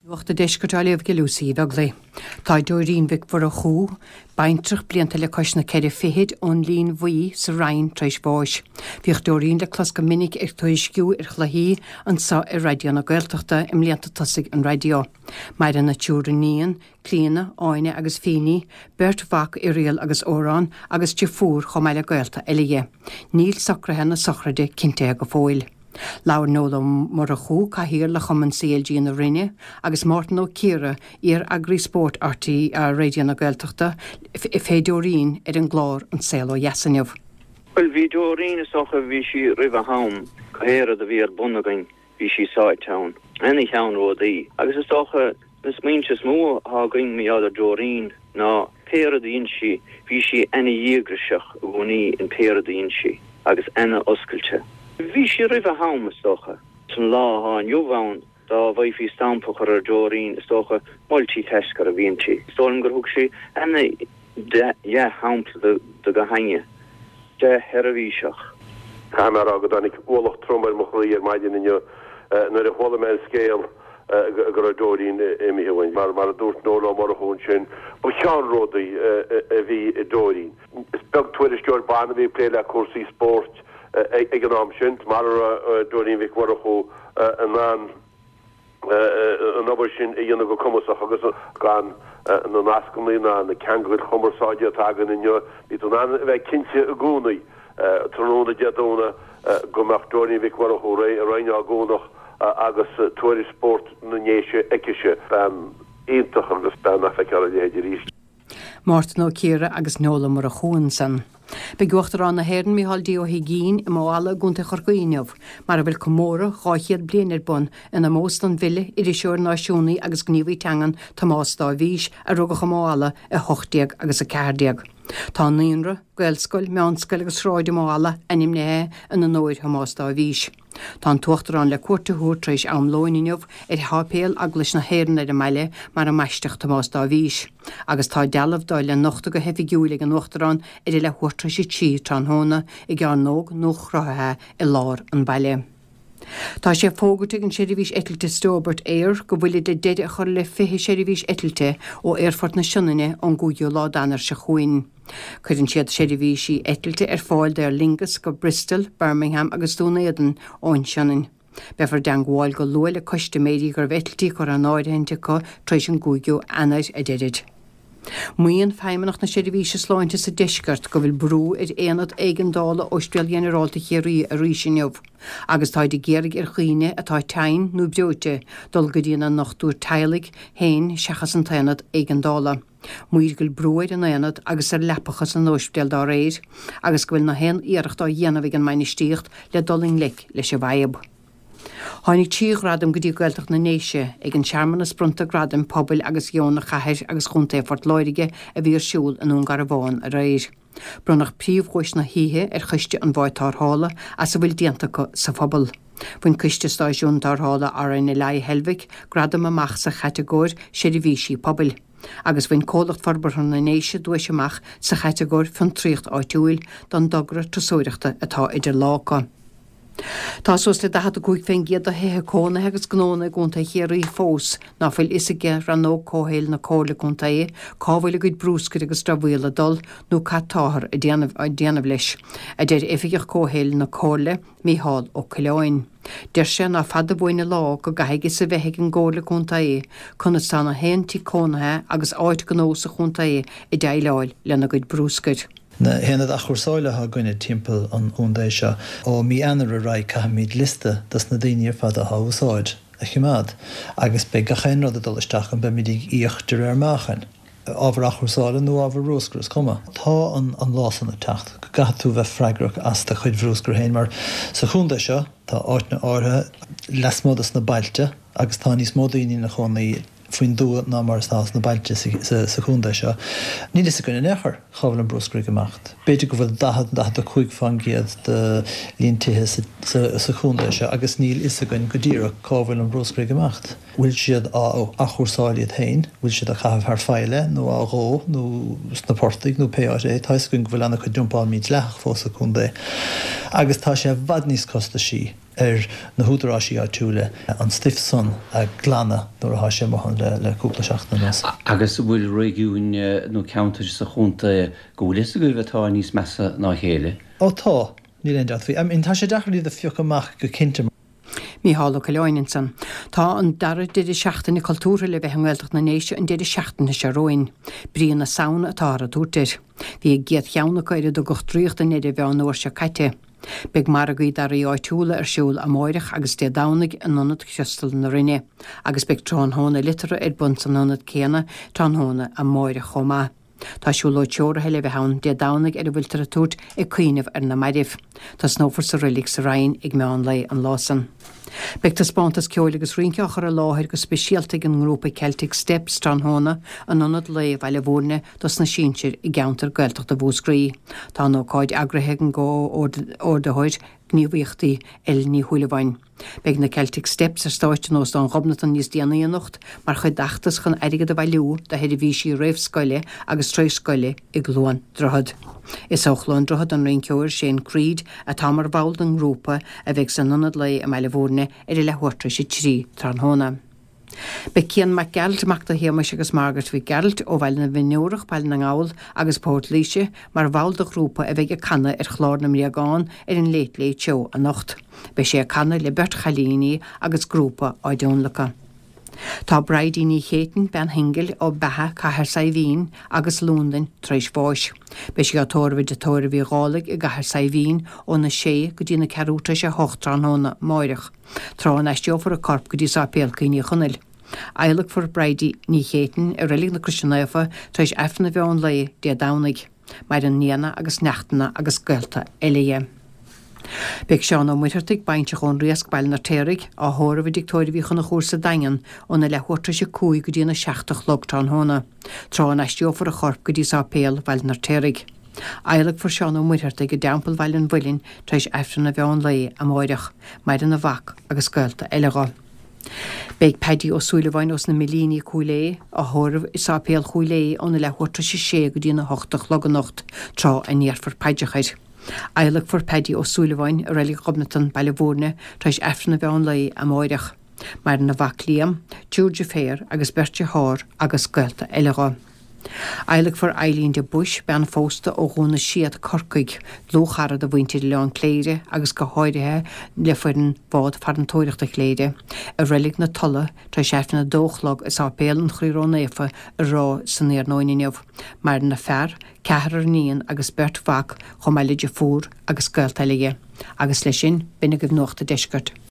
Nuacht an Deiscirt á léamh ag Lucy Uí Bheaglaoi. Tá Dóirín Mhic Mhurchú, baintreach blianta le cois na ceithre fichid, ón Linn Bhuí sa Rinn tar éis bháis. Bhíodh Dóirín le clos go minic ag tuairisciú ar chluichí anso ar Raidió na Gaeltachta i mblianta tosaigh an raidió. Maireann a triúr iníon, Clíona, Áine agus Fíní, beirt mhac, Irial agus Odhrán, agus deirfiúr chomh maith le gaolta eile dhi. Níl socruithe na sochraide cinntithe go fóill. Labhair Noel Ó Murchú, Cathaoirleach Chumann CLG na Rinne, agus Mártan Ó Ciardha, iar-eagraí spóirt RTÉ Raidió na Gaeltachta, fé Dóirín ar an gclár An Saol Ó Dheas inniu. Bhuel, bhí Dóirín, is dócha, bhí sí roimh a ham, pé rud a bhí ar bun againn, bhí sí sáite ann. Ana-cheannródaí. Agus is dócha, na smaointe is mó atá againn mar gheall ar Dóirín ná pé rud a dhein sí, bhí sí ana-dhíograiseach i gcónaí in pé rud a dhein sí agus ana-oscailte. Bhí sí roimh a ham, is dócha. San lá atá inniu ann, dá bhfaighfí stampa a chur ar Dóirín, is dócha, multitasker a bhí inti. Is dóigh liom gur thug sí ana-dhea-shampla do gach éinne. Dea-sheirbhíseach. Caithfidh mé a rá go dtáinig ualach trom ar mo chroí ar maidin inniu nuair a chuala mé an scéal go raibh Dóirín imithe uainn. Mar a dúirt Noel Ó Murchú ansin, ba cheannródaí a bhí i Dóirín. Is beag tuairisceoir ban a bhí ag plé le cúrsaí spóirt ag an am sin, mar a raibh Dóirín Mhic Mhurchú in ann an obair sin a dhéanamh go cumasach agus gan na nascanna ná na ceangail chumarsáide atá againn inniu, bhí tú in ann a bheith cinnte i gcónaí, tráthnóna Dé Domhnaigh, go mbeadh Dóirín Mhic Mhurchú réidh i Rinn Ó gCuanach agus tuairisc spóirt na nDéise aicise. Bean iontach agus bean nach bhfeicfear a leithéid arís. Mártan Ó Ciardha agus Noel Ó Murchú ansan. Beidh Uachtarán na hÉireann Micheál D. Ó hUigínn i Maigh Fhala i gContae Chorcaí inniu, mar a bhfuil comóradh 200 bliain ar bun in omós don bhfile, iriseoir, náisiúnaí agus gníomhaí teangan Tomás Dáibhís, a rugadh i Maigh Fhala i 18 agus 14. Tá naíonra, gaelscoil, meánscoil agus sráid i Maigh Fhala ainmnithe in onóir Thomás Dáibhís. Tá an tUachtarán le cuairt a thabhairt tar éis am lóin inniu ar sháipéal Eaglais na hÉireann ar an mbaile mar a mbaisteadh Tomás Dáibhís, agus tá dealbh dó le nochtadh go hoifigiúil ag an Uachtarán ar a leathuair tar éis a 3 tráthnóna i gcearnóg nuachruthaithe i lár an bhaile. Tá sé fógartha ag an seirbhís eitilte Stobart Air go bhfuilid le deireadh a chur le 20 seirbhís eitilte ó Aerfort na Sionainne ón gcúigiú lá d'Eanáir seo chugainn. Cuireann siad seirbhísí eitilte ar fáil d'Aer Lingus go Bristol, Birmingham agus Dún Éideann ón Sionainn. Beifear i dteangmháil go luath le custaiméirí go raibh eitiltí curtha in áirithint acu tar éis an gcúigiú Eanáir, a deirid. Maíonn Feidhmeannacht na Seirbhíse Sláinte sa Deisceart go bhfuil brú ar aonad éigeandála Ospidéal Ghinearálta Chiarraí arís inniu agus táid ag iarraidh ar dhaoine atá tinn nó breoite dul go dtí a ndochtúir teaghlaigh féin seachas an t-aonad éigeandála. Maítear go bhfuil brú ar an aonad agus ar leapacha san óispidéal dá réir agus go bhfuil na haon iarracht á dhéanamh ag an mbainistíocht le dul i ngleic leis an bhfadhb. Tháinig 3 ghradam go dtí Gaeltacht na nDéise ag an searmanas bronnta gradaim pobail agus dheonaigh Chathair agus Chontae Phort Láirge a bhí ar siúl i nDún Garbhán aréir. Bronnadh príomhdhuais na hoíche ar Choiste an Bháid Tarrthála as a bhfuil déanta acu sa phobal. Bhain Coiste Stáisiún Tarrthála RNLI Heilbhic gradam amach sa chatagóir Seirbhísí Pobail, agus bhain Comhlacht Forbartha na nDéise duais amach sa chatagóir Fiontraíocht Áitiúil don dtogra turasóireachta atá idir lámha acu. Tá suas le 45% de thithe cónaithe agus gnónna i gContae Chiarraí fós ná fuil fhios ag Rannóg Comhshaoil na Comhairle Contae cá bhfuil a gcuid brúscair agus dramhaíola ag dul nó cad táthar ag déanamh leis, a deir Oifigeach Comhshaoil na Comhairle, Mícheál Ó Coileáin. Deir sé ná fada uainn an lá go gcaithfidh fhios a bheith ag an gComhairle Contae conas tá na haon tigh cónaithe agus áit gnó sa chontae ag déileáil lena gcuid brúscair. Na haonaid athchúrsála atá againne timpeall an chontae seo, ó mí Eanáir ar aghaidh caithfimid liosta dos na daoine ar fad atá á úsáid a choimeád agus beidh gach aon rud ag dul isteach ann, beimid ag íoc de réir meáchain. Ábhar athchúrsála nó ábhar brúscair, is cuma. Tá an lá san ag teacht go gcaithfidh tú bheith freagrach as do chuid bhrúscair féin mar sa chontae seo tá áiteanna áirithe lasmuigh dos na bailte agus tá níos mó daoine ina chónaí faoin dtuath ná mar atá sna bailte sa chontae seo. Níl fhios againn in aon chor cá bhfuil an brúscar ag imeacht. B'fhéidir go bhfuil 40, 45% de líon tithe sa chontae seo agus níl fhios againn go díreach cá bhfuil an brúscar ag imeacht. Bhfuil siad á athchúrsáil iad féin? Bhfuil siad á chaitheamh thar faill é nó á dhó nó sna portaigh nó pé áit é? Tá fhios againn go bhfuil an-chuid dumpáil mídhleathach fós sa chontae agus tá sé i bhfad níos costaisí. ar na húdaráisí áitiúla an stuif san a ghlanadh nuair athá sé amuigh ann le cúpla seachtain anuas. Agus an bhfuil réigiúin nó ceantair sa chontae go bhfuil fhios agaibh atá níos measa ná a chéile? Ó tá, níl aon dabht faoi. I mean tá sé deacair iad a phiocadh amach go cinnte. Mícheál Ó Coileáin ansan. Tá an dara deireadh seachtaine cultúrtha le bheith i nGaeltacht na nDéise an deireadh seachtaine seo romhainn. Brí na Samhna atáthar ag tabhairt air. Bhí an gcéad cheann acu ar a dtugadh Draíocht i nDoire Mheán an uair seo caite. Beidh margaí d'earraí áitiúla ar siúl amáireach agus Dé Domhnaigh in Ionad Chriostal na Rinne agus beidh tráthnóna liteartha ar bun san ionad céanna tráthnóna amáireach chomh maith. Tá siúlóid treoraithe le bheith ann Dé Domhnaigh ar a bhfuiltear ag tabhairt Ag Cuimhneamh ar na Mairbh. Tosnófar sa reilig sa Rinn ag meán lae an lá san. Beidh taispeántas ceoil agus rince á chur i láthair go speisialta ag an ngrúpa Celtic Steps tráthnóna in Ionad Lae Bhaile Bhúirne dos na sinsir i gceantar Gaeltachta Mhúscraí. Tá an ócáid eagraithe ag an gcomhordaitheoir gníomhaíochtaí Ellen Ní Shúilleabháin. Beidh na Celtic Steps ar stáitse in Óstán Ghobnatan níos déanaí anocht mar chuid d'fheachtas chun airgead a bhailiú do sheirbhísí réamhscoile agus tar-éis-scoile i gCluain Droichead. Is ó Chluain Droichead an rinceoir Shane Creed atá mar bhall den ngrúpa a bheidh san Ionad Lae i mBaile Bhúirne ar a leathuair tar éis 3 tráthnóna. Beidh Cian Mac Gearailt, mac do Shéamais agus Margaret Mhic Gearailt, ó Bhaile na bhFionnúrach, Baile na nGall agus Port Laoise, mar bhall de ghrúpa a bheidh ag canadh ar chlár na mBréagán ar an Late Late Show anocht. Beidh sé ag canadh le beirt chailíní agus grúpa á dtionlacadh. Tá Bridie Ní Chéitinn, bean shingil, ó Beatha, Cathair Saidhbhín agus Londain, tar éis bháis. Beidh sí á tórramh i dTigh Tórraimh Uí Dhálaigh i gCathair Saidhbhín óna sé go dtí na ceathrú tar éis a hocht tráthnóna amáireach. Tráth a n-aistreofar a corp go dtí Sáipéal Cuimhní Chonaill. Adhlacfar Bridie Ní Chéitinn i Reilig na Croise Naofa tar éis Aifreann an mheán lae Dé Domhnaigh. Maireann nianna agus neachtanna agus gaolta eile dhi. Beidh Seán Ó Muircheartaigh, bainseach ón Riasc, Baile an Fheirtéaraigh, á thórramh i dTigh Tórraimh Uí Chonchúir sa Daingean óna leathuair tar éis a 5 go dtína 7 a chlog tráthnóna, tráth a n-aistreofar a chorp go dtí Sáipéal Bhaile an Fheirtéaraigh. Adhlacfar Seán Ó Muircheartaigh i dTeampall Bhaile an Mhuilinn tar éis Aifreann an mheán lae amáireach. Maireann a mhac agus gaolta eile dho. Beidh Paddy Ó Súilleabháin ós na Millíní, Cúil Aodha, á thórramh i Sáipéal Chúil Aodha óna leathuair tar éis a sé go dtína hocht a chlog anocht, tráth a ndéarfar paidreacha air. Adhlacfar Paddy Ó Súilleabháin i Reilig Ghobnatan, Baile Bhúirne, tar éis Aifreann an mheán lae amáireach. Maireann a mhac Liam, triúr deirféar agus beirt dearthár agus gaolta eile dho. Adhlacfar Eileen de Buis, bean phósta ó Dhún na Séad, Corcaigh, dlúthchara do mhuintir Oileán Cléire agus go háirithe le foireann Bhád Farantóireachta Chléire, i Reilig na Tolla tar éis Aifreann a dó a chlog i Sáipéal an Chroí Ró-Naofa i Ráth san iarnóin inniu. Maireann a fear, ceathrar iníon agus beirt mhac chomh maith le deirfiúr agus gaolta eile dhi. Agus leis sin, b'in agaibh Nuacht a' Deiscirt.